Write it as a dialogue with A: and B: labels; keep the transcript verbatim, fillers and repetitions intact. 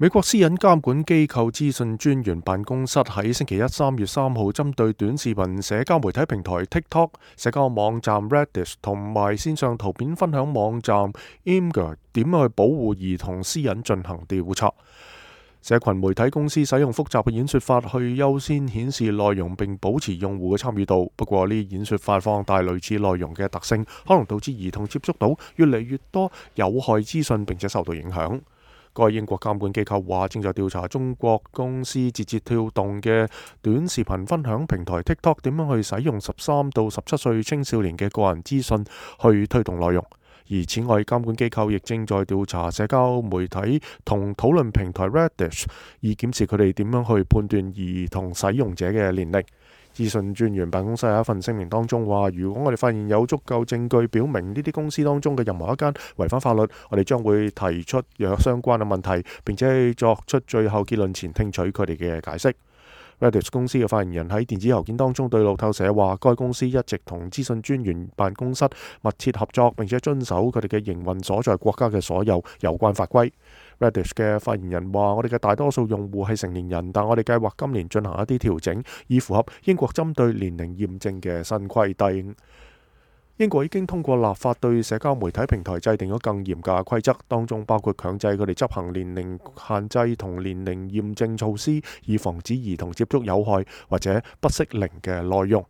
A: 美國私隱監管機構資訊專員辦公室喺星期一三月三號針對短視頻社交媒體平台 TikTok、社交網站 Reddit 同埋線上圖片分享網站 Imgur 點樣去保護兒童私隱進行調查。社群媒體公司使用複雜嘅演說法去優先顯示內容並保持用戶嘅參與度，不過呢啲演說法放大類似內容嘅特性，可能導致兒童接觸到越嚟越多有害資訊並且受到影響。該英國監管機構話正在調查中國公司字節跳動嘅短視頻分享平台 TikTok 點樣去使用十三到十七歲青少年嘅個人資訊去推動內容。而此外，監管機構亦正在調查社交媒體同討論平台 Reddit， 以檢視佢哋點樣去判斷兒童使用者嘅年齡。資訊專員辦公室喺一份聲明當中話，如果我哋發現有足夠證據表明呢啲公司當中嘅任何一間違反法律，我哋將會提出若相關嘅問題，並且作出最後結論前聽取佢哋嘅解釋。Reddit 公司嘅發言人喺電子郵件當中對路透社話，該公司一直同資訊專員辦公室密切合作，並且遵守佢哋嘅營運所在國家嘅所有有關法規。Reddit 嘅發言人話，我哋嘅大多數用戶係成年人，但我哋計劃今年進行一啲調整，以符合英國針對年齡驗證嘅新規定。英國已經通過立法對社交媒體平台制定咗更嚴格嘅規則，當中包括強制佢哋執行年齡限制同年齡驗證措施，以防止兒童接觸有害或者不適齡嘅內容。